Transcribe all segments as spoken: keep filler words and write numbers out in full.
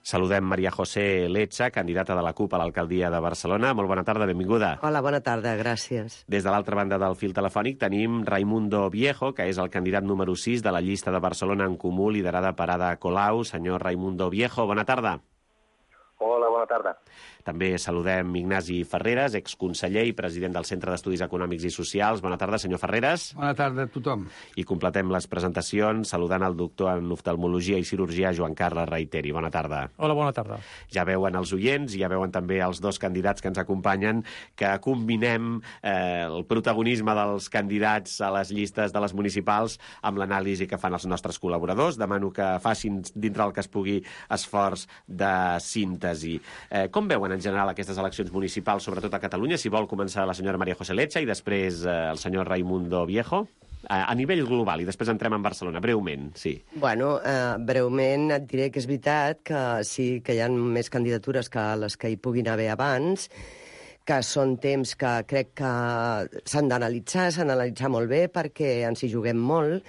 Saludem Maria José Lecha, candidata de la CUP a l'alcaldia de Barcelona. Molt bona tarda, benvinguda. Hola, bona tarda, gràcies. Des de l'altra banda del fil telefònic tenim Raimundo Viejo, que és el candidat número sis de la llista de Barcelona en Comú, liderada per Ada Colau. Senyor Raimundo Viejo, bona tarda. Hola, bona tarda. També saludem Ignasi Ferreres, exconseller i president del Centre d'Estudis Econòmics i Socials. Bona tarda, senyor Ferreres. Bona tarda a tothom. I completem les presentacions saludant el doctor en oftalmologia i cirurgia Joan Carles Reiteri. Bona tarda. Hola, bona tarda. Ja veuen els oients i ja veuen també els dos candidats que ens acompanyen que combinem eh, el protagonisme dels candidats a les llistes de les municipals amb l'anàlisi que fan els nostres col·laboradors. Demano que facin, dintre el que es pugui, esforç de síntesi. Eh, com veuen en general aquestes eleccions municipals, sobretot a Catalunya? Si vol començar la senyora Maria José Lecha i després eh, el senyor Raimundo Viejo. A, a nivell global, i després entrem en Barcelona, breument, sí. Bueno, eh, breument et diré que és veritat que sí que hi ha més candidatures que les que hi puguin haver abans, que són temps que crec que s'han d'analitzar, s'han d'analitzar molt bé perquè ens hi juguem molt,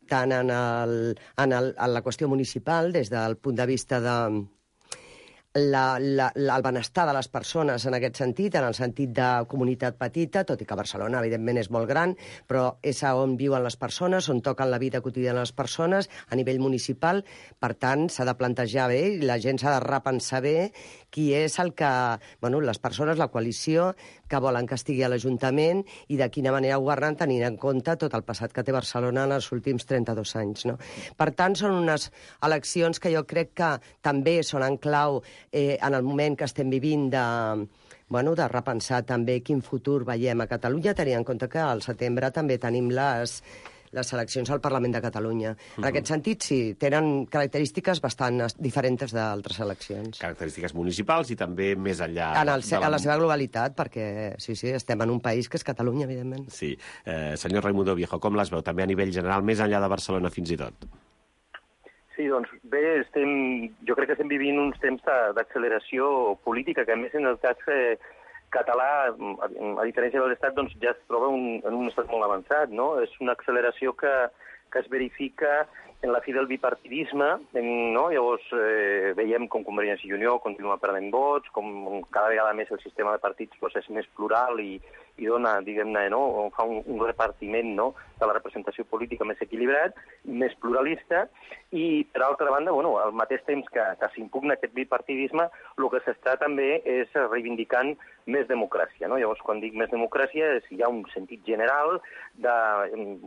tant en, el, en, el, en la qüestió municipal, des del punt de vista de La, la, la, el benestar de les persones en aquest sentit, en el sentit de comunitat petita, tot i que Barcelona, evidentment, és molt gran, però és on viuen les persones, on toquen la vida quotidiana de les persones, a nivell municipal. Per tant, s'ha de plantejar bé i la gent s'ha de repensar bé qui és el que... Bueno, les persones, la coalició, que volen que estigui a l'Ajuntament i de quina manera governen, tenint en compte tot el passat que té Barcelona en els últims trenta-dos anys. No? Per tant, són unes eleccions que jo crec que també són en clau eh, en el moment que estem vivint de, bueno, de repensar també quin futur veiem a Catalunya, tenint en compte que al setembre també tenim les... les eleccions al Parlament de Catalunya. En aquest sentit, sí, tenen característiques bastant diferents d'altres eleccions. Característiques municipals i també més enllà... En, el, de la... en la seva globalitat, perquè sí, sí, estem en un país que és Catalunya, evidentment. Sí. Eh, senyor Raimundo Viejo, com les veu també a nivell general, més enllà de Barcelona fins i tot? Sí, doncs bé, estem, jo crec que estem vivint uns temps d'acceleració política, que a més en el cas eh, català, a diferència de l'Estat, doncs ja es troba un, en un estat molt avançat, no? És una acceleració que, que es verifica en la fi del bipartidisme, en, no? Llavors eh, veiem com Convergència i Unió continua perdent vots, com cada vegada més el sistema de partits doncs, és més plural i, i dona, diguem-ne, no? Fa un, un repartiment, no? De la representació política més equilibrat, més pluralista, i, per altra banda, bueno, al mateix temps que, que s'impugna aquest bipartidisme, el que s'està també és reivindicant més democràcia, no? Llavors, quan dic més democràcia, és, hi ha un sentit general de,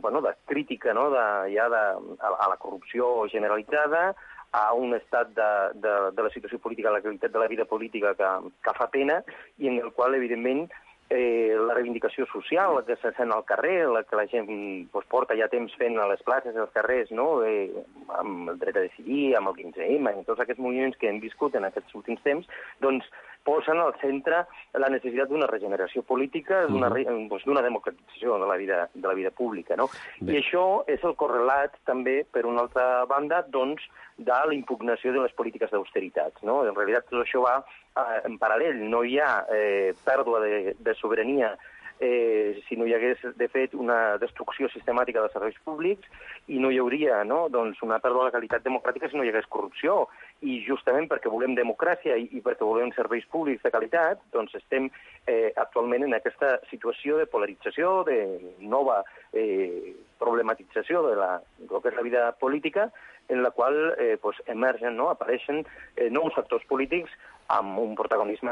bueno, de crítica, no? De, ja de, a, a la corrupció generalitzada, a un estat de, de, de la situació política, la qualitat de la vida política que, que fa pena, i en el qual, evidentment, Eh, la reivindicació social, la que se sent al carrer, la que la gent pues, porta ja temps fent a les places, als carrers, no? eh, amb el dret a decidir, amb el quinze ema, i tots aquests moviments que hem viscut en aquests últims temps, doncs posen al centre la necessitat d'una regeneració política, d'una mm. doncs, democratització de la vida, de la vida pública. No? I això és el correlat també, per una altra banda, doncs, de la impugnació de les polítiques d'austeritat. No? En realitat, tot això va eh, en paral·lel. No hi ha eh, pèrdua de, de sobirania eh, si no hi hagués, de fet, una destrucció sistemàtica dels serveis públics i no hi hauria no? doncs una pèrdua de la qualitat democràtica si no hi hagués corrupció. I justament perquè volem democràcia i, i perquè volem serveis públics de qualitat, doncs estem eh, actualment en aquesta situació de polarització, de nova eh, problematització de, la, del que és la vida política, en la qual eh, pues, emergen, no? apareixen eh, nous factors polítics amb un protagonisme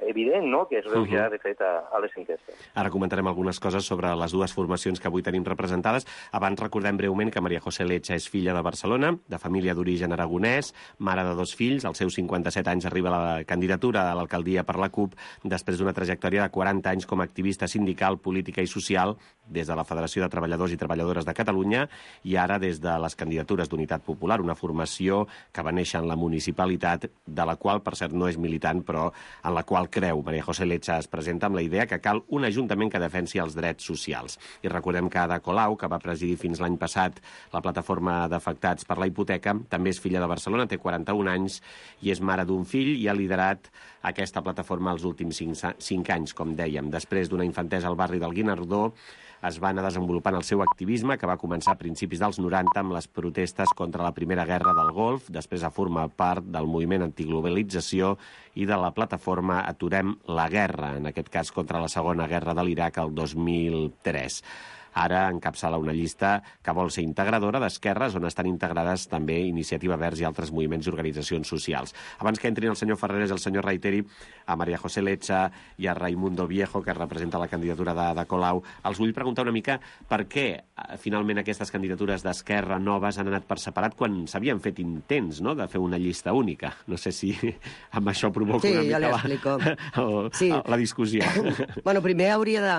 evident, no? que es veu ja, de fet, a, a les enquestes. Ara comentarem algunes coses sobre les dues formacions que avui tenim representades. Abans recordem breument que Maria José Lecha és filla de Barcelona, de família d'origen aragonès, mare de dos fills. Als seus cinquanta-set anys arriba a la candidatura a l'alcaldia per la CUP després d'una trajectòria de quaranta anys com a activista sindical, política i social des de la Federació de Treballadors i Treballadores de Catalunya i ara des de les candidatures d'Unitat Popular, una formació que va néixer en la municipalitat, de la qual, per cert, no és militant, però en la qual creu. Maria José Lecha es presenta amb la idea que cal un ajuntament que defensi els drets socials. I recordem que Ada Colau, que va presidir fins l'any passat la plataforma d'afectats per la hipoteca, també és filla de Barcelona, té quaranta-un anys i és mare d'un fill i ha liderat aquesta plataforma els últims cinc anys, com dèiem. Després d'una infantesa al barri del Guinardó, es va anar desenvolupant el seu activisme, que va començar a principis dels noranta amb les protestes contra la Primera Guerra del Golf, després a formar part del moviment antiglobalització i de la plataforma Aturem la Guerra, en aquest cas contra la Segona Guerra de l'Iraq el dos mil tres. Ara encapçala una llista que vol ser integradora d'esquerres, on estan integrades també Iniciativa Verds i altres moviments i organitzacions socials. Abans que entrin el senyor Ferreres i el senyor Reiteri, a María José Lecha i a Raimundo Viejo, que representa la candidatura de, de Colau, els vull preguntar una mica per què finalment aquestes candidatures d'esquerra noves han anat per separat quan s'havien fet intents, no?, de fer una llista única. No sé si amb això provoca sí, una mica la, la, sí. la discussió. Bueno, primer hauria de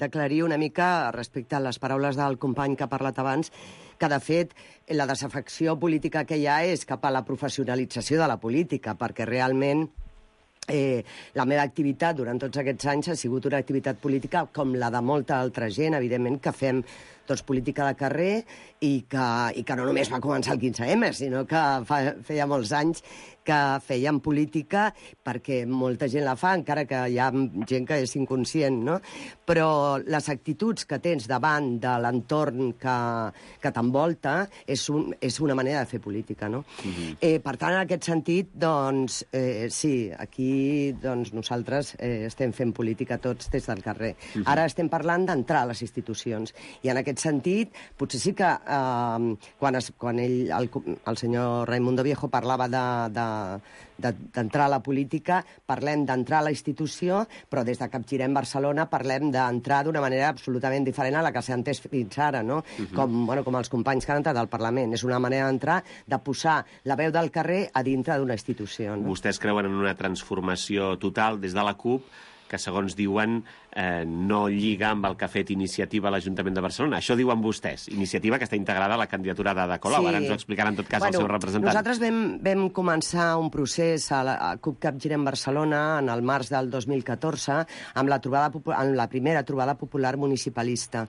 d'aclarir una mica respecte a les paraules del company que ha parlat abans, que de fet la desafecció política que hi ha és cap a la professionalització de la política, perquè realment Eh, la meva activitat durant tots aquests anys ha sigut una activitat política com la de molta altra gent, evidentment, que fem doncs, política de carrer i que, i que no només va començar el quinze eme, sinó que fa, feia molts anys que fèiem política, perquè molta gent la fa, encara que hi ha gent que és inconscient, no? Però les actituds que tens davant de l'entorn que, que t'envolta és, un, és una manera de fer política, no? Mm-hmm. eh, per tant, en aquest sentit, doncs, eh, sí, aquí doncs, nosaltres eh, estem fent política tots des del carrer. Mm-hmm. Ara estem parlant d'entrar a les institucions, i en aquest sentit, potser sí que eh, quan, es, quan ell, el, el senyor Raimundo Viejo parlava de, de d'entrar a la política, parlem d'entrar a la institució, però des de Capgirem Barcelona parlem d'entrar d'una manera absolutament diferent a la que s'ha entès fins ara, no? Uh-huh. com, bueno, com els companys que han entrat al Parlament. És una manera d'entrar, de posar la veu del carrer a dintre d'una institució. No? Vostès creuen en una transformació total des de la CUP que, segons diuen, eh, no lliga amb el que ha fet Iniciativa a l'Ajuntament de Barcelona. Això diuen vostès. Iniciativa que està integrada a la candidatura d'Ada Colau. Sí. Ara ens ho explicarà en tot cas bueno, el seu representant. Nosaltres vam, vam començar un procés a la a CUP Capgirem Barcelona en el març del dos mil catorze amb la, trobada, amb la primera trobada popular municipalista.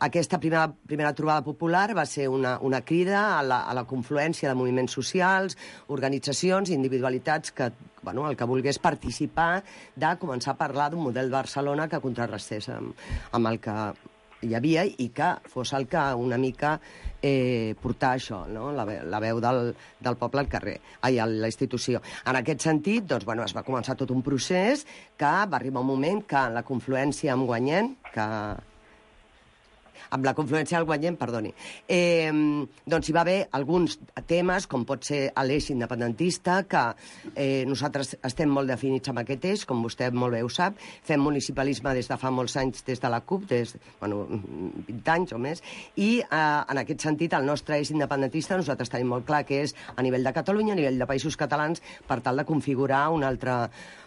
Aquesta primera, primera trobada popular va ser una, una crida a la, a la confluència de moviments socials, organitzacions i individualitats que bueno, el que volgués participar de començar a parlar d'un model de Barcelona que contrarrestés amb, amb el que hi havia i que fos el que una mica eh, portar això, no? la, la veu del, del poble al carrer, ai, a la institució. En aquest sentit, doncs, bueno, es va començar tot un procés que va arribar un moment que en la confluència amb Guanyent, que amb la confluència del Guanyent, perdoni, eh, doncs hi va haver alguns temes, com pot ser l'eix independentista, que eh, nosaltres estem molt definits amb aquest eix, com vostè molt bé ho sap, fem municipalisme des de fa molts anys des de la CUP, des bueno, vint anys o més, i eh, en aquest sentit el nostre eix independentista nosaltres tenim molt clar que és a nivell de Catalunya, a nivell de països catalans, per tal de configurar un altre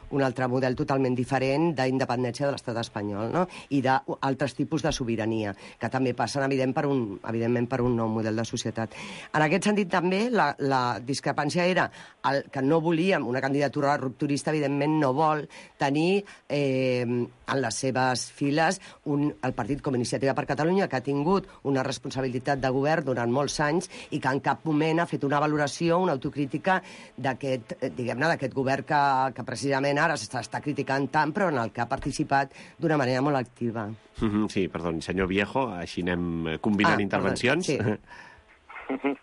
un altre model totalment diferent d'independència de l'estat espanyol, no? I d'altres tipus de sobirania, que també passen, evident, per un, evidentment, per un nou model de societat. En aquest sentit, també, la, la discrepància era el, que no volíem, una candidatura rupturista, evidentment, no vol tenir eh, en les seves files un, el partit com Iniciativa per Catalunya, que ha tingut una responsabilitat de govern durant molts anys i que en cap moment ha fet una valoració, una autocrítica d'aquest, diguem-ne, d'aquest govern que, que precisament ara s'està criticant tant, però en el que ha participat d'una manera molt activa. Mm-hmm, sí, perdó, senyor Viejo, així anem combinant ah, intervencions. Perdó, sí.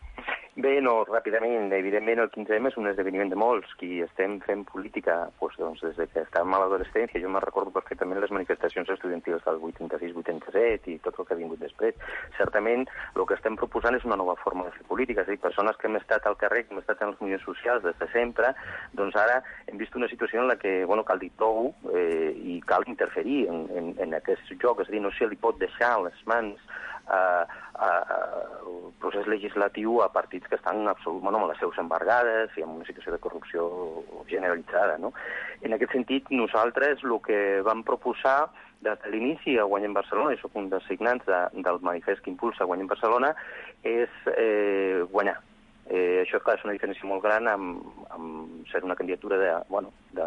Bé, no, ràpidament, evidentment el quinze eme és un esdeveniment de molts, qui estem fent política doncs, doncs, des de que estàvem a l'adolescència. Jo me recordo perfectament les manifestacions estudiantils del vuitanta-sis vuitanta-set i tot el que ha vingut després. Certament, el que estem proposant és una nova forma de fer política, és a dir, persones que hem estat al carrer, que hem estat en els moviments socials des de sempre, doncs ara hem vist una situació en la que, bueno, cal dir prou eh, i cal interferir en, en, en aquest joc, és a dir, no se li pot deixar les mans Uh, uh, el procés legislatiu a partits que estan absolut, bueno, amb les seus embargades i amb una situació de corrupció generalitzada, no? En aquest sentit, nosaltres el que vam proposar des de l'inici a Guanyem Barcelona, i soc un dels signants de, del manifest que impulsa Guanyem Barcelona, és eh, guanyar. Eh, això, clar, és una diferència molt gran amb, amb ser una candidatura de, bueno, de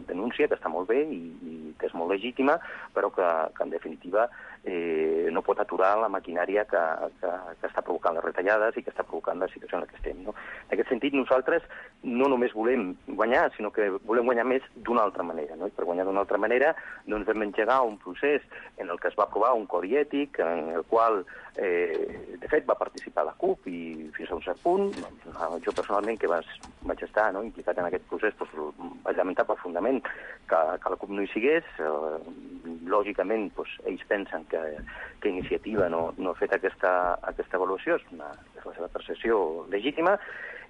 denúncia, que està molt bé i, i que és molt legítima, però que, que en definitiva eh, no pot aturar la maquinària que, que, que està provocant les retallades i que està provocant la situació en la que estem. No? En aquest sentit, nosaltres no només volem guanyar, sinó que volem guanyar més d'una altra manera. No? I per guanyar d'una altra manera doncs, vam engegar un procés en el que es va aprovar un codi ètic, en el qual, eh, de fet, va participar la CUP i fins a un cert punt. Jo personalment, que vas, vaig estar no, implicat en aquest procés, doncs, vaig lamentar profundament que, que la CUP no hi sigués. Eh, lògicament, doncs, ells pensen que, que Iniciativa no, no ha fet aquesta, aquesta avaluació, és, una, és la seva percepció legítima.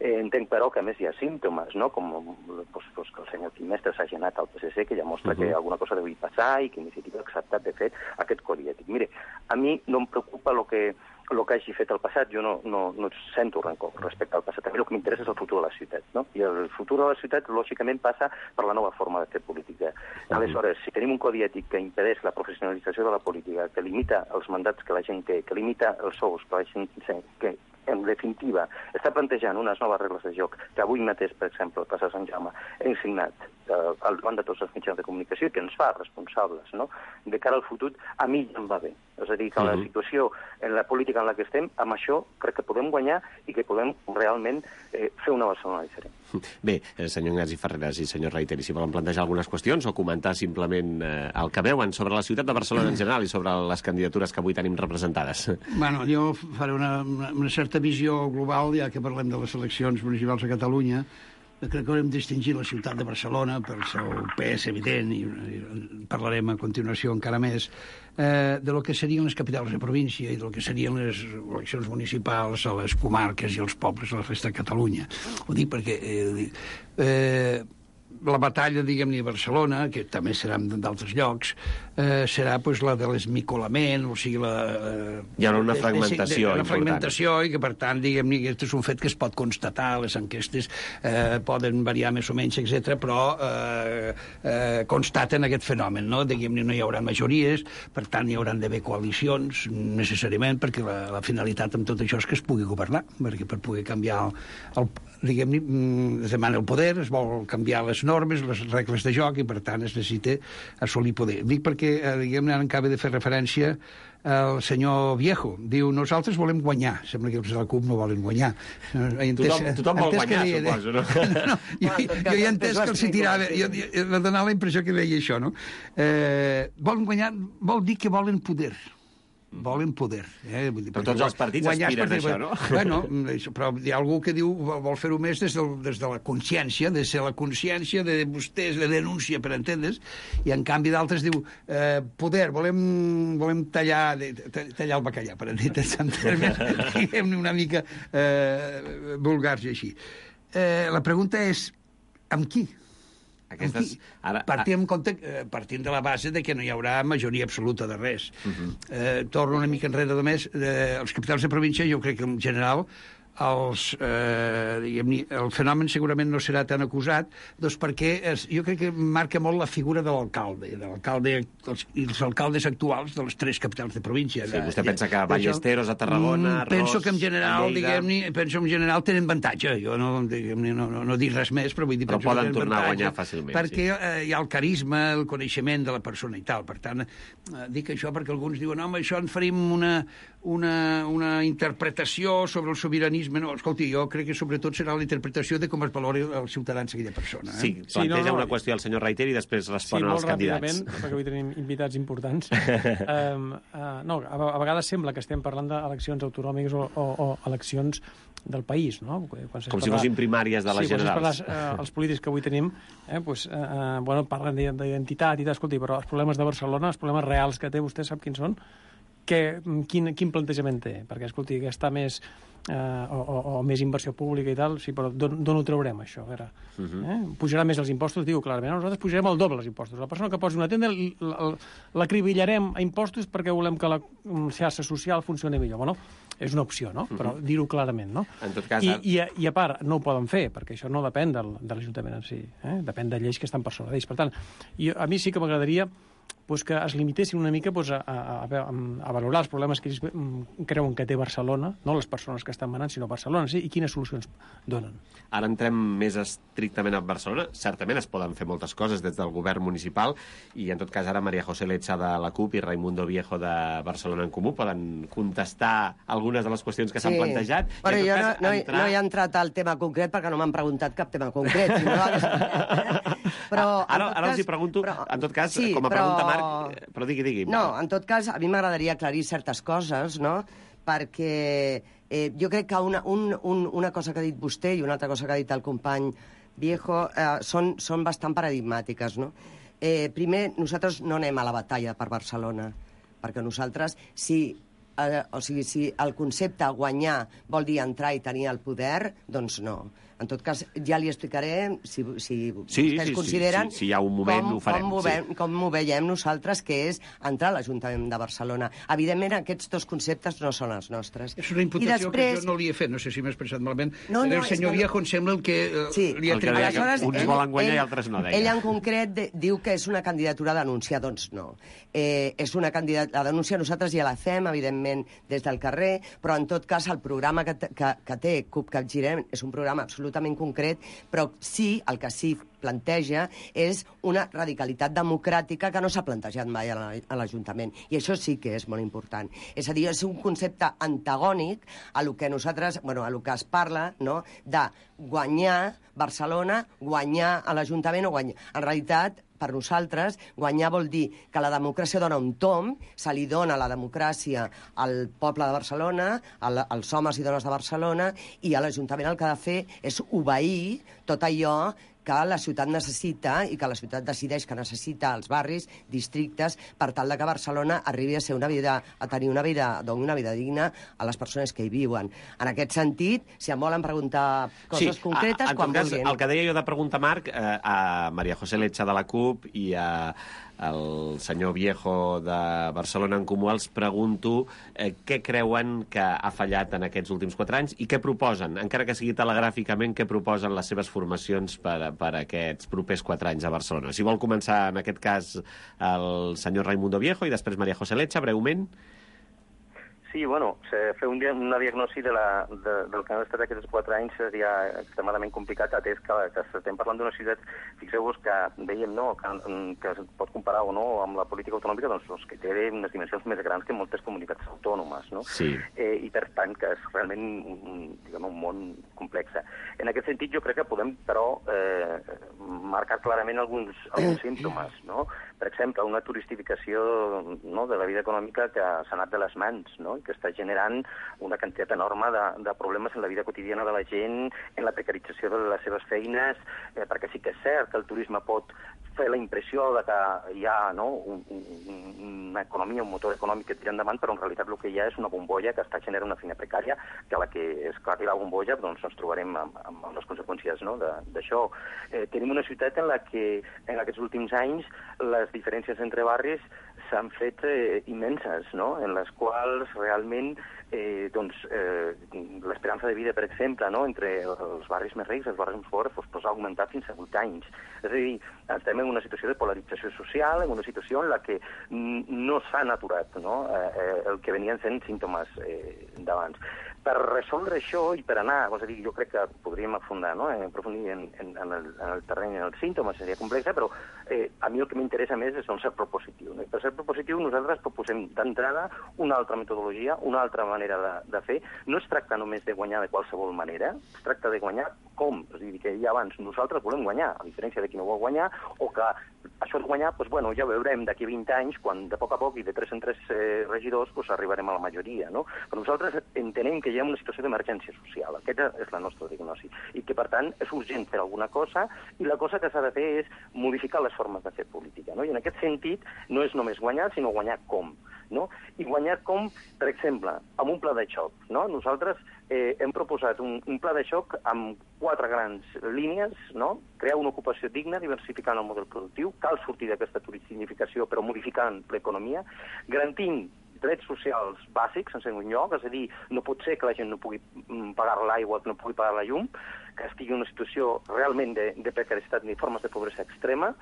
Eh, entenc, però, que a més hi ha símptomes, no? Com doncs, doncs, que el senyor Quim Mestre s'ha anat al P S C, que ja mostra uh -huh. que alguna cosa deu passar i que Iniciativa ha acceptat, de fet, aquest codi ètic. Mire, a mi no em preocupa el que el que hagi fet el passat, jo no, no, no sento rancor respecte al passat. A mi el que m'interessa és el futur de la ciutat, no? I el futur de la ciutat, lògicament, passa per la nova forma de fer política. Aleshores, si tenim un codi ètic que impedeix la professionalització de la política, que limita els mandats que la gent té, que limita els sous que la gent té, que en definitiva està plantejant unes noves regles de joc que avui mateix, per exemple, el Plaça Sant Jaume hem signat eh, al davant de tots els mitjans de comunicació i que ens fa responsables, no? De cara al futur, a mi ja em va bé. És a dir, que en la situació, en la política en la que estem, amb això crec que podem guanyar i que podem realment eh, fer una Barcelona diferent. Bé, senyor Ignasi Ferreras i senyor Reiteri, si volen plantejar algunes qüestions o comentar simplement eh, el que veuen sobre la ciutat de Barcelona en general i sobre les candidatures que avui tenim representades. Bueno, jo faré una, una, una certa visió global, ja que parlem de les eleccions municipals a Catalunya. Crec que haurem de distingir la ciutat de Barcelona pel seu pes evident, i, i parlarem a continuació encara més, eh, de lo que serien les capitals de província i de lo que serien les eleccions municipals a les comarques i els pobles a la resta de Catalunya. Ho dic perquè eh, eh, la batalla, diguem-ne, a Barcelona, que també serà d'altres llocs, eh, serà pues, la de l'esmicolament, o sigui, la... Eh, Hi ha una fragmentació de, de, de, una fragmentació important. I que, per tant, diguem-ne, aquest és un fet que es pot constatar, les enquestes eh, poden variar més o menys, etcètera, però eh, eh, constaten aquest fenomen, no? Diguem-ne, no hi haurà majories, per tant, hi hauran d'haver coalicions, necessàriament, perquè la, la finalitat amb tot això és que es pugui governar, perquè per poder canviar el, el diguem-ne, es demana el poder, es vol canviar les normes, les regles de joc, i per tant es necessita assolir poder. Dic perquè, diguem-ne, ara acaba de fer referència el senyor Viejo. Diu, nosaltres volem guanyar. Sembla que els de la CUP no volen guanyar. Entès, tothom, tothom vol guanyar, deia, suposo, no? no, no jo, jo, jo he entès que els hi tirava... Jo, jo, va donar la impressió que deia això, no? Eh, volen guanyar vol dir que volen poder. Volen poder. Eh? Vull dir, però tots els partits aspiren a això, no? Bueno, però hi ha algú que diu vol fer-ho més des, del, des de la consciència, des de la consciència de vostès, de denúncia, per entendre's, i en canvi d'altres diu eh, poder, volem, volem tallar, tallar el bacallà, per entendre's, en termes, diguem-ne, una mica eh, vulgars i així. Eh, la pregunta és, amb qui? Aquestes, ara, partim, compte, eh, partim de la base de que no hi haurà majoria absoluta de res. Uh -huh. eh, torno una mica enrere només. Eh, els capitals de província, jo crec que en general els, eh, diguem, el fenomen segurament no serà tan acusat, doncs perquè es, jo crec que marca molt la figura de l'alcalde, de l'alcalde els, i els alcaldes actuals de les tres capitals de província. Sí, vostè pensa que Ballesteros, a Tarragona, Ros, penso que en general, diguem-ne, penso en general tenen avantatge. Jo no, no, no, no dic res més, però vull dir... Però poden tornar a guanyar fàcilment. Perquè sí. eh, hi ha el carisma, el coneixement de la persona i tal. Per tant, eh, dic això perquè alguns diuen, home, això en farim una, una, una interpretació sobre el sobiranisme. No, escolti, jo crec que sobretot serà la interpretació de com es valori els ciutadans aquella persona. Eh? Sí, planteja sí, no, no, una qüestió al senyor Reiter i després respon sí, als candidats. Sí, molt ràpidament, perquè avui tenim invitats importants. um, uh, no, a, a vegades sembla que estem parlant d'eleccions autonòmiques o, o, o eleccions del país, no? Quan com parlat... si fossin primàries de les sí, generals. Sí, uh, els polítics que avui tenim eh, pues, uh, bueno, parlen d'identitat i tal, escolti, però els problemes de Barcelona, els problemes reals que té, vostè sap quins són? Que, quin, quin plantejament té? Perquè, escolti, que està més... Eh, o, o, o més inversió pública i tal, sí, però d'on ho traurem, això? A veure, uh -huh. eh? Pujarà més els impostos? Diu clarament, nosaltres pujarem el doble els impostos. La persona que posi una tenda l'acribillarem a impostos perquè volem que la xarxa social funcioni millor. Bueno, és una opció, no? Uh -huh. Però dir-ho clarament, no? En tot cas... I, i, I a part, no ho poden fer, perquè això no depèn del, de l'Ajuntament en si, eh? Depèn de lleis que estan per sobre d'ells. Per tant, i a mi sí que m'agradaria doncs que es limitessin una mica doncs, a, a, a, a valorar els problemes que ells creuen que té Barcelona, no les persones que estan manant, sinó Barcelona, sí, i quines solucions donen. Ara entrem més estrictament a Barcelona. Certament es poden fer moltes coses des del govern municipal i, en tot cas, ara María José Lecha de la CUP i Raimundo Viejo de Barcelona en Comú poden contestar algunes de les qüestions que s'han sí. plantejat. Bueno, jo cas, no, no, entrar... no he entrat al tema concret perquè no m'han preguntat cap tema concret. Si no, però, ara ara cas, els hi pregunto, però, en tot cas, sí, com a però, pregunta, Marc, però digui, digui. No, en tot cas, a mi m'agradaria aclarir certes coses, no?, perquè eh, jo crec que una, un, un, una cosa que ha dit vostè i una altra cosa que ha dit el company Viejo eh, són, són bastant paradigmàtiques, no? Eh, primer, nosaltres no anem a la batalla per Barcelona, perquè nosaltres, si, eh, o sigui, si el concepte guanyar vol dir entrar i tenir el poder, doncs no. En tot cas, ja li explicaré, si, si sí, vostès sí, consideren... Sí, sí, si hi ha un moment, com, ho farem. Com ho, ve, sí. com ho veiem nosaltres, que és entrar a l'Ajuntament de Barcelona. Evidentment, aquests dos conceptes no són els nostres. És una imputació després... que jo no li he fet, no sé si m'he expressat malament. No, no, el senyor Viejo em sembla el que eh, sí. li ha el que deia que uns ell, volen guanyar ell, i altres no, deia. Ell en concret de, diu que és una candidatura a denúncia, doncs no. Eh, és una candidatura a denúncia, nosaltres ja la fem, evidentment, des del carrer, però en tot cas el programa que, que, que té CUP Capgirem és un programa absolutament concret, però sí, el que sí planteja és una radicalitat democràtica que no s'ha plantejat mai a l'Ajuntament. I això sí que és molt important. És a dir, és un concepte antagònic a lo que nosaltres, bueno, a lo que es parla, no?, de guanyar Barcelona, guanyar a l'Ajuntament o guanyar... En realitat, per nosaltres, guanyar vol dir que la democràcia dona un tom, se li dona la democràcia al poble de Barcelona, als homes i dones de Barcelona, i a l'Ajuntament el que ha de fer és obeir tot allò que la ciutat necessita i que la ciutat decideix que necessita els barris, districtes, per tal de que Barcelona arribi a ser una vida, a tenir una vida, doni una vida digna a les persones que hi viuen. En aquest sentit, si em volen preguntar coses sí, concretes, a, quan cas, vulguin. El que deia jo de preguntar, Marc, eh, a María José Lecha de la CUP i a el senyor Viejo de Barcelona en Comú, els pregunto eh, què creuen que ha fallat en aquests últims quatre anys i què proposen, encara que sigui telegràficament, què proposen les seves formacions per, per aquests propers quatre anys a Barcelona. Si vol començar, en aquest cas, el senyor Raimundo Viejo i després María José Lecha, breument. Sí, bueno, fer un, una diagnosi de la, de, del que han estat aquests quatre anys seria extremadament complicat, atès que, que estem parlant d'una ciutat, fixeu-vos que veiem, no?, que, que es pot comparar o no amb la política autonòmica, doncs, doncs que té unes dimensions més grans que moltes comunitats autònomes, no? Sí. Eh, I per tant que és realment un, diguem, un món complex. En aquest sentit jo crec que podem, però, eh, marcar clarament alguns, alguns símptomes, no? Per exemple, una turistificació, no?, de la vida econòmica que s'ha anat de les mans, no?, que està generant una quantitat enorme de, de problemes en la vida quotidiana de la gent, en la precarització de les seves feines, eh, perquè sí que és cert que el turisme pot fer la impressió de que hi ha, no?, un, un, una economia, un motor econòmic que tira endavant, però en realitat el que hi ha és una bombolla que està generant una feina precària, que a la que esclati la bombolla doncs ens trobarem amb, amb les conseqüències, no?, d'això. Eh, tenim una ciutat en la que en aquests últims anys les diferències entre barris s'han fet eh, immenses, no?, en les quals realment eh, doncs, eh, l'esperança de vida, per exemple, no?, entre els barris més rics i els barris més pobres doncs, doncs, ha augmentat fins a vuit anys. És a dir, estem en una situació de polarització social, en una situació en la que no s'han aturat, no?, eh, el que venien sent símptomes eh, d'abans. Per resoldre això i per anar, és a dir, jo crec que podríem afundar, no?, eh, aprofundir en, en, en, el, en el terreny, en els símptomes, seria complexa, però eh, a mi el que m'interessa més és un ser propositiu. No? I per ser propositiu nosaltres proposem d'entrada una altra metodologia, una altra manera de, de fer. No es tracta només de guanyar de qualsevol manera, es tracta de guanyar com. És a dir, que ja abans nosaltres volem guanyar, a diferència de qui no vol guanyar, o que això de guanyar, doncs, bueno, ja veurem d'aquí vint anys, quan de poc a poc i de tres en tres eh, regidors doncs, arribarem a la majoria. No? Però nosaltres entenem que hi ha una situació d'emergència social. Aquesta és la nostra diagnosi. I que, per tant, és urgent fer alguna cosa, i la cosa que s'ha de fer és modificar les formes de fer política. No? I en aquest sentit, no és només guanyar, sinó guanyar com. No? I guanyar com, per exemple, amb un pla de xoc. No? Nosaltres eh, hem proposat un, un pla de xoc amb quatre grans línies, no? Crear una ocupació digna, diversificant el model productiu, cal sortir d'aquesta turistificació però modificant l'economia, garantint drets socials bàsics, en segon lloc, és a dir, no pot ser que la gent no pugui pagar l'aigua, no pugui pagar la llum, que estigui en una situació realment de, de precarietat ni formes de pobresa extrema,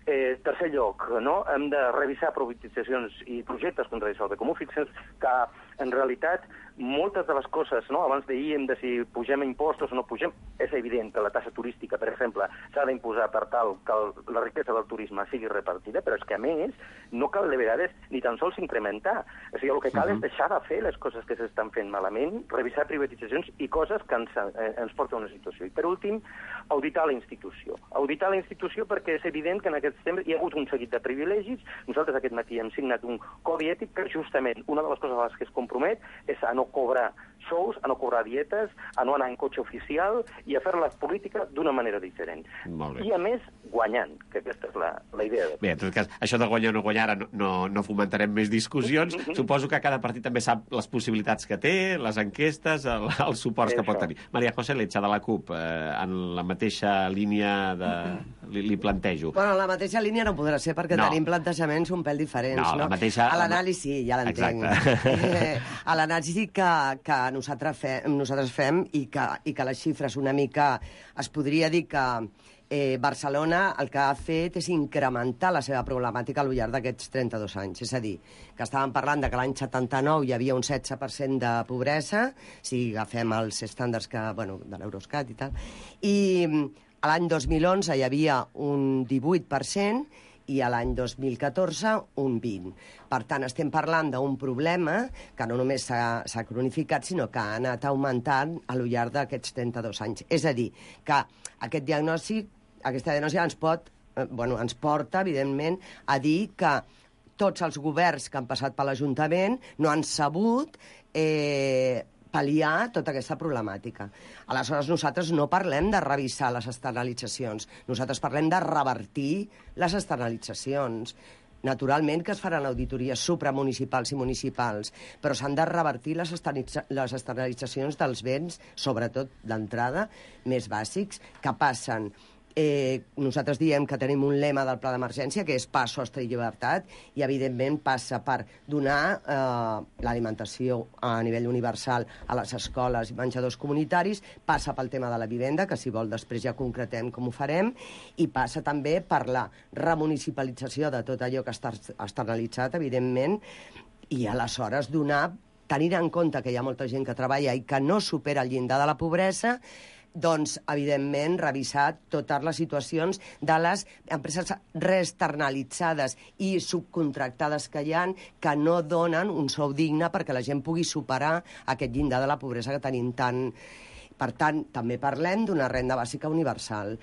Eh, tercer lloc, no? Hem de revisar privatitzacions i projectes contra el bé comú. Fixem que, en realitat, moltes de les coses, no? Abans d'ahir hem de si pugem impostos o no pugem, és evident que la taxa turística, per exemple, s'ha d'imposar per tal que el, la riquesa del turisme sigui repartida, però és que, a més, no cal de vegades ni tan sols incrementar. O sigui, el que cal uh-huh. és deixar de fer les coses que s'estan fent malament, revisar privatitzacions i coses que ens, eh, ens porten a una situació. I, per últim, auditar la institució. Auditar la institució perquè és evident que en aquests temps hi ha hagut un seguit de privilegis. Nosaltres aquest matí hem signat un codi ètic que justament una de les coses a les que es compromet és a no cobrar sous, a no cobrar dietes, a no anar en cotxe oficial i a fer la política d'una manera diferent. I, a més, guanyant, que aquesta és la, la idea. De... Bé, en tot cas, això de guanyar o no guanyar, no, no, no fomentarem més discussions. Suposo que cada partit també sap les possibilitats que té, les enquestes, el, el suport que pot tenir. Maria José Lecha, de la CUP, eh, en la mateixa línia de... Li, li plantejo. Bueno, la mateixa línia no podrà ser perquè no. tenim plantejaments un pèl diferents. No, no? La mateixa... A l'anàlisi, ja l'entenc. Eh, a l'anàlisi que, que nosaltres, fem, nosaltres fem i que, i que les xifres una mica... Es podria dir que eh, Barcelona el que ha fet és incrementar la seva problemàtica al llarg d'aquests trenta-dos anys. És a dir, que estàvem parlant de que l'any setanta-nou hi havia un setze per cent de pobresa, si agafem els estàndards que, bueno, de l'Eurostat i tal, i a l'any dos mil onze hi havia un divuit per cent i a l'any dos mil catorze un vint per cent. Per tant, estem parlant d'un problema que no només s'ha cronificat, sinó que ha anat augmentant al llarg d'aquests trenta-dos anys. És a dir, que aquest diagnòstic, aquesta diagnosi ens pot, eh, bueno, ens porta, evidentment, a dir que tots els governs que han passat per l'Ajuntament no han sabut eh, pal·liar tota aquesta problemàtica. Aleshores, nosaltres no parlem de revisar les externalitzacions, nosaltres parlem de revertir les externalitzacions. Naturalment que es faran auditories supramunicipals i municipals, però s'han de revertir les, les externalitzacions dels béns, sobretot d'entrada, més bàsics, que passen... Eh, nosaltres diem que tenim un lema del pla d'emergència que és pa, sostre i llibertat, i evidentment passa per donar eh, l'alimentació a nivell universal a les escoles i menjadors comunitaris, passa pel tema de la vivenda, que si vol després ja concretem com ho farem, i passa també per la remunicipalització de tot allò que està externalitzat, evidentment, i aleshores donar, tenint en compte que hi ha molta gent que treballa i que no supera el llindar de la pobresa, doncs, evidentment, revisar totes les situacions de les empreses reexternalitzades i subcontractades que hi ha, que no donen un sou digne perquè la gent pugui superar aquest llindar de la pobresa que tenim tant. Per tant, també parlem d'una renda bàsica universal.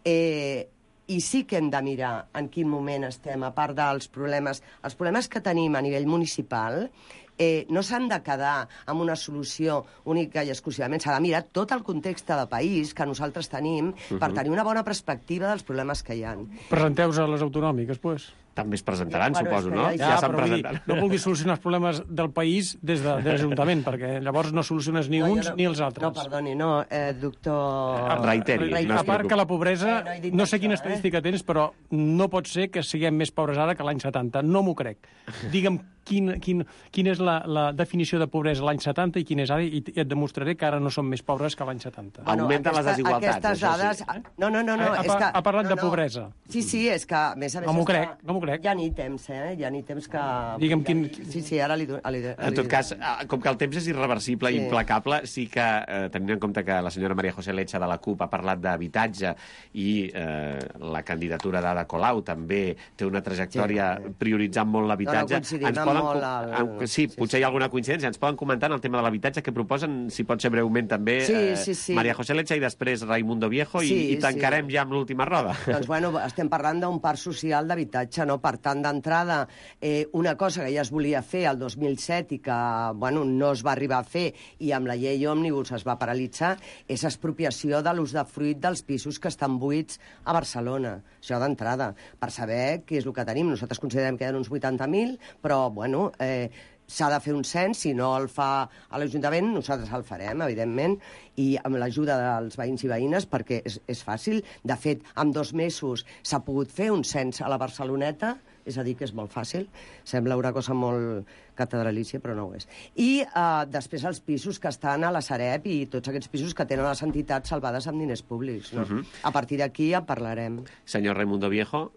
Eh, I sí que hem de mirar en quin moment estem, a part dels problemes, els problemes que tenim a nivell municipal, Eh, no s'han de quedar amb una solució única i exclusivament. S'ha de mirar tot el context de país que nosaltres tenim uh-huh. per tenir una bona perspectiva dels problemes que hi ha. Presenteu-vos a les autonòmiques, doncs. També es presentaran, bueno, suposo, no? Ja, ja s'han presentat. No vulguis solucionar els problemes del país des de, de l'Ajuntament, perquè llavors no soluciones ni no, uns no, ni els altres. No, perdoni, no, eh, doctor... Eh, reiteri. A, a part que la pobresa, eh, no, no sé quina això, estadística eh? tens, però no pot ser que siguem més pobres ara que l'any setanta. No m'ho crec. Digue'm quin, quin, quina és la, la definició de pobresa l'any setanta i quina és ara, i et demostraré que ara no som més pobres que l'any setanta. Bueno, augmenten les desigualtats, aquestes dades... Sí. No, no, no, no ha, és que... Ha parlat no, de pobresa. Sí, sí, és que, a més a més... No m'ho crec, no m'ho crec. Ja ni temps, eh? Ja ni temps que... Digue'm quin... Sí, sí, ara li... li, li en tot cas, com que el temps és irreversible i sí. implacable, sí que, eh, tenint en compte que la senyora Maria José Lecha de la CUP ha parlat d'habitatge i eh, la candidatura d'Ada Colau també té una trajectòria sí, prioritzant molt l'habitatge. No, no ens poden... molt el... Sí, sí, potser sí. hi ha alguna coincidència. Ens poden comentar en el tema de l'habitatge que proposen, si pot ser breument també, sí, eh, sí, sí. Maria José Lecha i després Raimundo Viejo i, sí, i tancarem sí. ja amb l'última roda. Doncs, bueno, estem parlant d'un parc social d'habitatge, no? Per tant, d'entrada, eh, una cosa que ja es volia fer el dos mil set i que, bueno, no es va arribar a fer i amb la llei òmnibus es va paralitzar, és expropiació de l'usdefruit dels pisos que estan buits a Barcelona. Això d'entrada, per saber què és el que tenim. Nosaltres considerem que hi ha uns vuitanta mil, però, bueno... Eh, s'ha de fer un cens, si no el fa a l'Ajuntament, nosaltres el farem, evidentment, i amb l'ajuda dels veïns i veïnes, perquè és, és fàcil. De fet, en dos mesos s'ha pogut fer un cens a la Barceloneta, és a dir, que és molt fàcil. Sembla una cosa molt catedralícia, però no ho és. I eh, després els pisos que estan a la Sareb i tots aquests pisos que tenen les entitats salvades amb diners públics. No? Uh-huh. A partir d'aquí ja parlarem. Senyor Raimundo Viejo...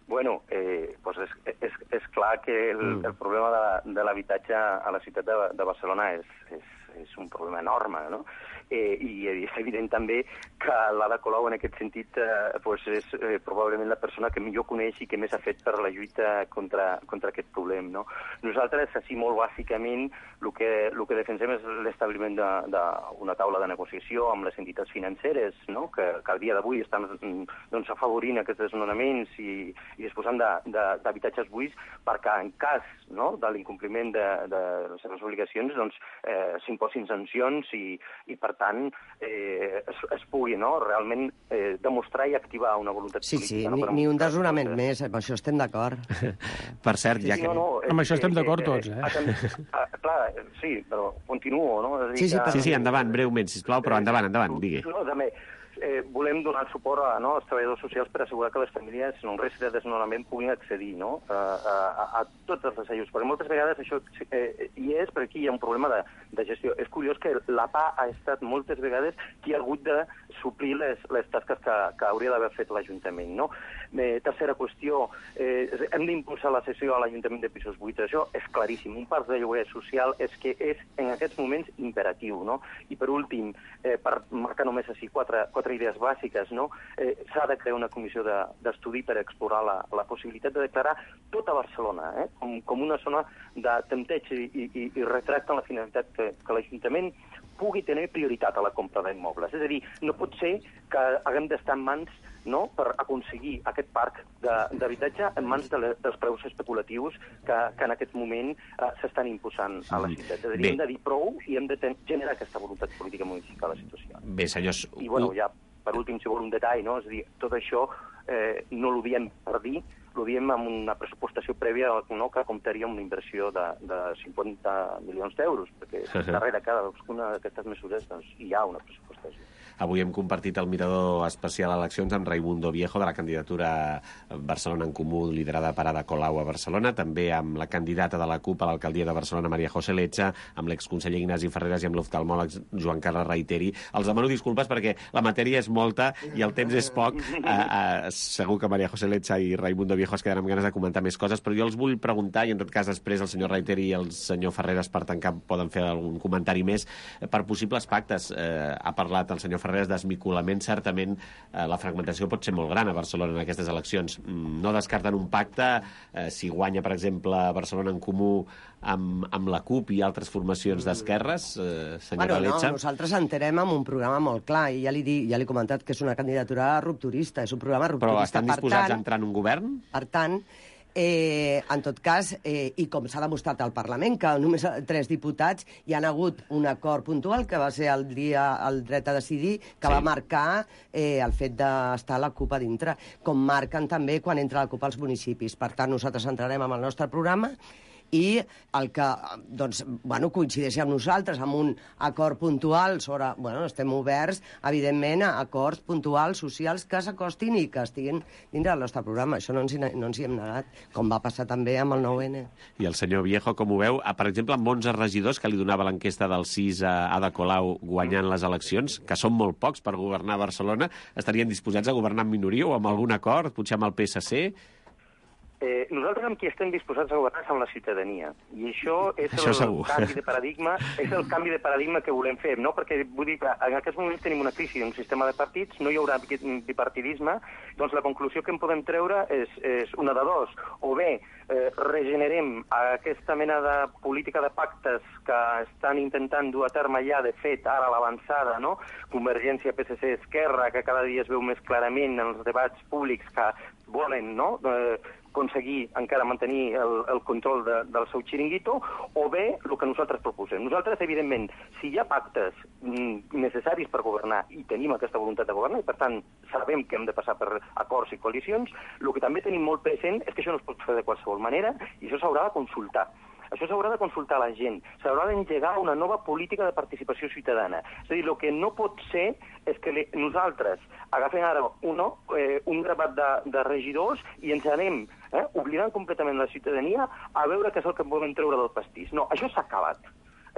Bueno, eh, pues és, és, és clar que el, Mm. el problema de, de l'habitatge a la ciutat de, de Barcelona és, és, és un problema enorme, no? Eh, I és evident també que l'Ada Colau en aquest sentit eh, pues és eh, probablement la persona que millor coneix i que més ha fet per la lluita contra, contra aquest problema, no? Nosaltres, així molt bàsicament, el que, el que defensem és l'establiment d'una taula de negociació amb les entitats financeres, no? que, que al dia d'avui estan doncs, afavorint aquests desnonaments i, i disposant d'habitatges buits perquè en cas, no? de l'incompliment de, de les seves obligacions doncs, eh, s'imposin sancions i, i per tant eh, es, es pugui no? realment eh, demostrar i activar una voluntat Sí, política. sí, no? ni, Per ni un demostrar desnonament coses. més, amb això estem d'acord. Per cert, ja Sí, que... no, no, Amb és això estem que- d'acord que- tots, eh? ah, ah, clar, sí, però continuo, no? És a dir Sí, sí, que- Sí, sí, endavant, breument, sisplau, però endavant, endavant, digui. No, també, eh, volem donar suport a, no, als treballadors socials per assegurar que les famílies en un risc de desnonament puguin accedir no, a, a, a tots els ajuts, perquè moltes vegades això eh, hi és, però aquí hi ha un problema de, de gestió. És curiós que la P A ha estat moltes vegades qui ha hagut de suplir les, les tasques que, que hauria d'haver fet l'Ajuntament. No? Eh, tercera qüestió, eh, hem d'impulsar la cessió a l'Ajuntament de pisos buits. Això és claríssim. Un parc de lloguer social és que és en aquests moments imperatiu. No? I per últim, eh, per marcar només així quatre, quatre idees bàsiques, no? eh, s'ha de crear una comissió d'estudi de, per explorar la, la possibilitat de declarar tota Barcelona eh, com, com una zona de tempteig i, i, i retracte en la finalitat que, que l'Ajuntament pugui tenir prioritat a la compra d'immobles. És a dir, no pot ser que haguem d'estar en mans no, per aconseguir aquest parc d'habitatge en mans de le, dels preus especulatius que, que en aquest moment eh, s'estan imposant a la ciutat. És a dir, Bé. hem de dir prou i hem de ten, generar aquesta voluntat política modificar la situació. Bé, senyors... I, bueno, ja, per últim, si vol un detall, no? És a dir, tot això eh, no l'ho diem per dir, ho diem amb una pressupostació prèvia no, que comptaria amb una inversió de, de cinquanta milions d'euros, perquè darrere cada una d'aquestes mesures doncs, hi ha una pressupostació. Avui hem compartit el mirador especial a eleccions amb Raimundo Viejo de la candidatura Barcelona en Comú liderada per Ada Colau a Barcelona, també amb la candidata de la CUP a l'alcaldia de Barcelona, Maria José Lecha, amb l'exconseller Ignasi Ferreras i amb l'oftalmòleg Joan Carles Reiteri. Els demano disculpes perquè la matèria és molta i el temps és poc. Uh, uh, segur que Maria José Lecha i Raimundo Viejo es quedaran amb ganes de comentar més coses, però jo els vull preguntar, i en tot cas després el senyor Reiteri i el senyor Ferreras per tancar poden fer algun comentari més, per possibles pactes. Uh, ha parlat el senyor Ferreras d'esmicolament. Certament eh, la fragmentació pot ser molt gran a Barcelona en aquestes eleccions. No descarten un pacte eh, si guanya, per exemple, Barcelona en Comú amb, amb la CUP i altres formacions d'esquerres, eh, senyora bueno, Lecha? No, nosaltres entenem amb un programa molt clar i ja li, di, ja li he comentat que és una candidatura rupturista, és un programa rupturista. Però estan disposats per tant, a entrar en un govern? Per tant, Eh, en tot cas, eh, i com s'ha demostrat al Parlament, que només tres diputats hi han hagut un acord puntual, que va ser el dia el dret a decidir, que Sí. va marcar eh, el fet d'estar la CUP a dintre, com marquen també quan entra la CUP als municipis. Per tant, nosaltres entrarem amb el nostre programa i el que doncs, bueno, coincideixi amb nosaltres, amb un acord puntual sobre... Bueno, estem oberts, evidentment, a acords puntuals, socials, que s'acostin i que estiguin dintre del nostre programa. Això no ens, hi, no ens hi hem negat, com va passar també amb el nou ene. I el senyor Viejo, com ho veu? Per exemple, amb onze regidors que li donava l'enquesta del sis a Ada Colau guanyant les eleccions, que són molt pocs per governar Barcelona, estarien disposats a governar en minoria o amb algun acord, potser amb el P S C? Eh, nosaltres amb qui estem disposats a governar és amb la ciutadania. I això és Això el segur. canvi de paradigma, és el canvi de paradigma que volem fer, no? Perquè vull dir que en aquests moments tenim una crisi d'un sistema de partits, no hi haurà bipartidisme, doncs la conclusió que en podem treure és, és una de dos. O bé eh, regenerem aquesta mena de política de pactes que estan intentant dur a terme ja, de fet, ara a l'avançada, no? Convergència, P S C, Esquerra, que cada dia es veu més clarament en els debats públics que volen, no?, eh, aconseguir encara mantenir el, el control de, del seu xiringuito, o bé el que nosaltres proposem. Nosaltres, evidentment, si hi ha pactes mm, necessaris per governar i tenim aquesta voluntat de governar, i per tant sabem que hem de passar per acords i coalicions, el que també tenim molt present és que això no es pot fer de qualsevol manera i això s'haurà de consultar. Això s'haurà de consultar a la gent, s'haurà d'engegar una nova política de participació ciutadana. És a dir, el que no pot ser és que nosaltres agafem ara uno, eh, un gravat de, de regidors i ens anem eh, oblidant completament la ciutadania a veure què és el que volem treure del pastís. No, això s'ha acabat.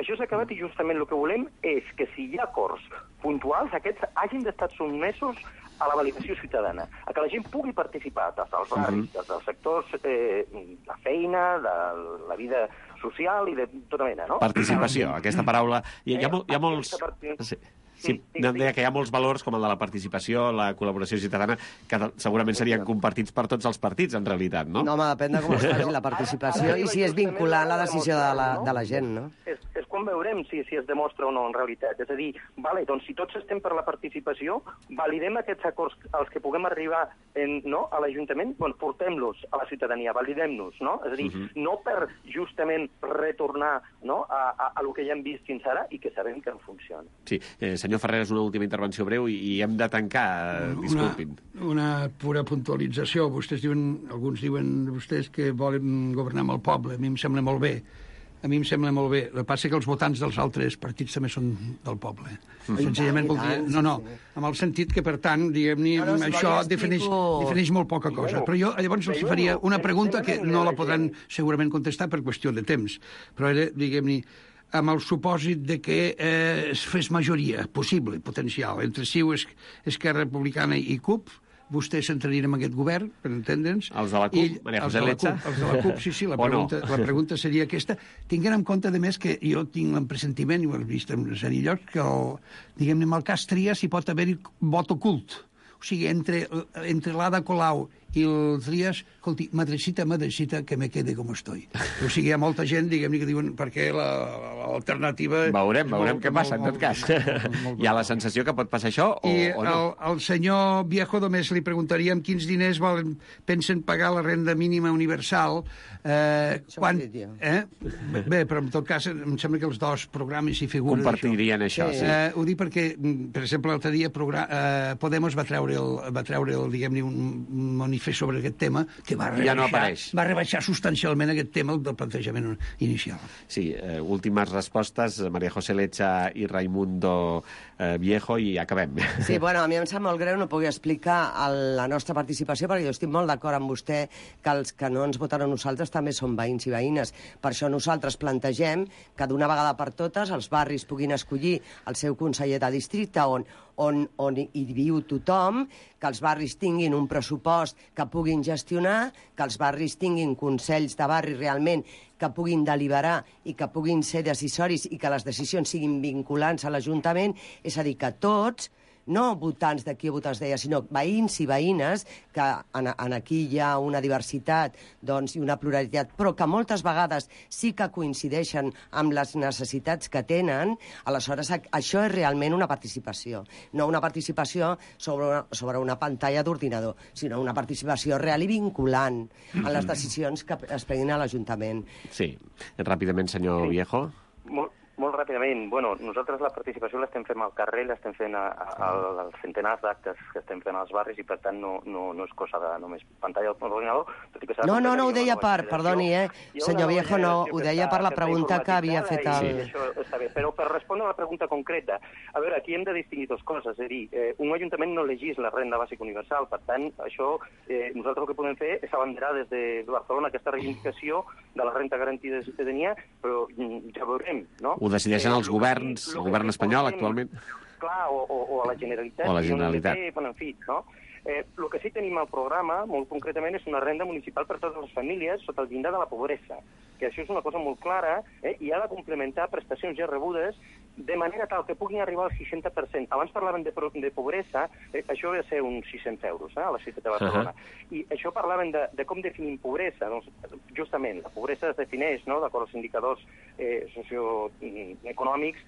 Això s'ha acabat i justament el que volem és que si hi ha acords puntuals, aquests hagin d'estar sotmesos a la validació ciutadana, a que la gent pugui participar des dels barris, des dels sectors eh, de feina, de la vida social i de tota mena, no? Participació, aquesta paraula... Hi ha, hi ha, hi ha molts... Sí. Sí, no, deia que hi ha molts valors, com el de la participació, la col·laboració ciutadana, que segurament serien compartits per tots els partits, en realitat, no? No, home, depèn de com es faci la participació i si és vinculant la decisió de la, de la gent, no? És, és quan veurem si, si es demostra o no en realitat. És a dir, vale, doncs si tots estem per la participació, validem aquests acords als que puguem arribar en, no, a l'Ajuntament, doncs portem-los a la ciutadania, validem-nos, no? És a dir, uh -huh. no per justament retornar, no, a, a, a lo que ja hem vist fins ara i que sabem que no funciona. Sí, eh, senyor Ferreras, una última intervenció breu i, i hem de tancar, disculpin. Una, una pura puntualització. Vostès diuen, alguns diuen vostès que volen governar amb el poble. A mi em sembla molt bé. A mi em sembla molt bé. El que passa és que els votants dels altres partits també són del poble. Mm. Senzillament vol dir... No, no, amb el sentit que, per tant, diguem-ne, no, no, això defineix, defineix molt poca cosa. Però jo llavors els faria una pregunta que no la podran segurament contestar per qüestió de temps. Però era, diguem-ne, amb el supòsit de que eh, es fes majoria possible, potencial, entre C I U, Esquerra Republicana i C U P, vostès s'entrarien en aquest govern, per entendre'ns. Els de la C U P, Maria José Lecha? Els de la C U P, sí, sí, la pregunta, no? La pregunta seria aquesta. Tinguent en compte, de més, que jo tinc l'empressentiment, i ho he vist en una sèrie llocs, que, diguem-ne, en el cas Trias hi pot haver-hi vot ocult. O sigui, entre, entre l'Ada Colau i el Trias, escolti, madrecita, madrecita, que me quede com estoy. O sigui, hi ha molta gent, diguem-ne, que diuen perquè l'alternativa... Veurem, veurem què passa, en tot cas. Hi ha la sensació que pot passar això o, I o no? I al senyor Viejo només li preguntaríem quins diners volen, pensen pagar la renda mínima universal. Eh, quan, eh? Bé, però en tot cas, em sembla que els dos programes hi figuren. Compartirien això, això sí. Eh, ho dic perquè, per exemple, l'altre dia eh, Podemos va treure, el, va treure el, diguem-ne, un manifest sobre aquest tema, que va rebaixar, ja no apareix. Va rebaixar substancialment aquest tema del plantejament inicial. Sí, eh, últimes respostes, Maria José Lecha i Raimundo eh, Viejo, i acabem. Sí, bueno, a mi em sap molt greu no pugui explicar el, la nostra participació, perquè jo estic molt d'acord amb vostè que els que no ens voten a nosaltres també són veïns i veïnes. Per això nosaltres plantegem que d'una vegada per totes els barris puguin escollir el seu conseller de districte on on, on hi viu tothom, que els barris tinguin un pressupost que puguin gestionar, que els barris tinguin consells de barri realment que puguin deliberar i que puguin ser decisoris i que les decisions siguin vinculants a l'Ajuntament, és a dir, que tots, no votants d'aquí o votants d'allà, sinó veïns i veïnes, que en, en aquí hi ha una diversitat doncs, i una pluralitat, però que moltes vegades sí que coincideixen amb les necessitats que tenen, aleshores això és realment una participació. No una participació sobre una, sobre una pantalla d'ordinador, sinó una participació real i vinculant en les decisions que es prenguin a l'Ajuntament. Sí. Ràpidament, senyor sí. Viejo. Molt, molt ràpidament. Bueno, nosaltres la participació l'estem fent al carrer, l'estem fent a, a, als centenars d'actes que estem fent als barris i, per tant, no, no, no és cosa de només pantalla d'ordinador. No, no, no ho deia per, perdoni, eh? Senyor Viejo, no, ho deia per la pregunta que havia fet el... Sí, això està bé, però per respondre a la pregunta concreta, a veure, aquí hem de distingir dues coses, és a dir, eh, un ajuntament no legisla renda bàsica universal, per tant, això, eh, nosaltres el que podem fer és abanderar des de Barcelona aquesta reivindicació de la renta garantida de ciutadania, però ja veurem, no? Ho decideixen els governs, el govern espanyol actualment. Clar, o, o, o a la Generalitat. O a la Generalitat. Té, bueno, en fi, no? Eh, el que sí tenim al programa, molt concretament, és una renda municipal per a totes les famílies sota el llindar de la pobresa, que això és una cosa molt clara, eh, i ha de complementar prestacions ja rebudes de manera tal que puguin arribar al seixanta per cent. Abans parlaven de, de pobresa, eh, això ve a ser uns sis-cents euros eh, a la ciutat de Barcelona. Uh -huh. I això parlaven de, de com definim pobresa. Doncs, justament, la pobresa es defineix, no?, d'acord als indicadors eh, socioeconòmics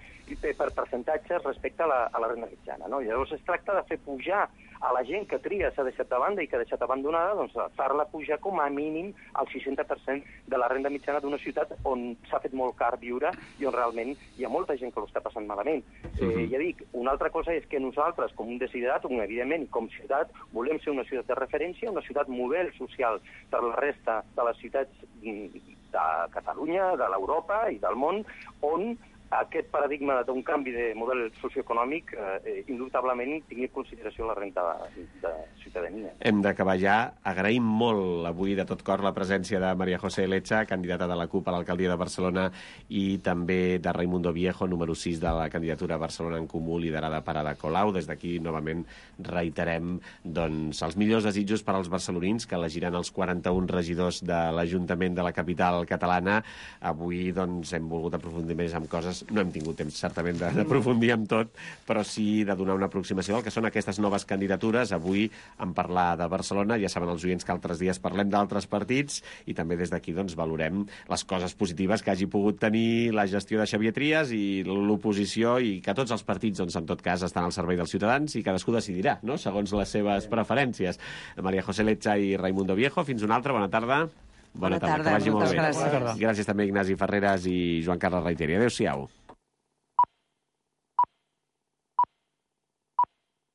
per percentatges respecte a la, a la renda mitjana. No? Llavors es tracta de fer pujar a la gent que tria s'ha deixat de banda i que ha deixat abandonada, doncs fer-la pujar com a mínim al seixanta per cent de la renda mitjana d'una ciutat on s'ha fet molt car viure i on realment hi ha molta gent que ho està passant malament. Uh-huh. eh, ja dic, una altra cosa és que nosaltres, com un desiderat, un, evidentment, com ciutat, volem ser una ciutat de referència, una ciutat model social per la resta de les ciutats de Catalunya, de l'Europa i del món, on aquest paradigma d'un canvi de model socioeconòmic eh, indubtablement tingui en consideració la renta de, de ciutadania. Hem d'acabar ja. Agraïm molt avui de tot cor la presència de María José Lecha, candidata de la CUP a l'alcaldia de Barcelona, i també de Raimundo Viejo, número sis de la candidatura Barcelona en Comú, liderada per Ada Colau. Des d'aquí, novament, reiterem doncs, els millors desitjos per als barcelonins que elegiran els quaranta-un regidors de l'Ajuntament de la capital catalana. Avui doncs, hem volgut aprofundir més en coses. No hem tingut temps, certament, d'aprofundir en tot, però sí de donar una aproximació del que són aquestes noves candidatures. Avui, en parlar de Barcelona, ja saben els oients que altres dies parlem d'altres partits, i també des d'aquí doncs, valorem les coses positives que hagi pogut tenir la gestió de Xavier Trias i l'oposició, i que tots els partits, doncs, en tot cas, estan al servei dels ciutadans i cadascú decidirà, no?, segons les seves preferències. María José Lecha i Raimundo Viejo, fins una altra. Bona tarda. Bona, Bona tarda, tarda. Que vagi molt bé. Gràcies. Gràcies també a Ignasi Ferreras i Joan Carles Reiteri. Adéu-siau.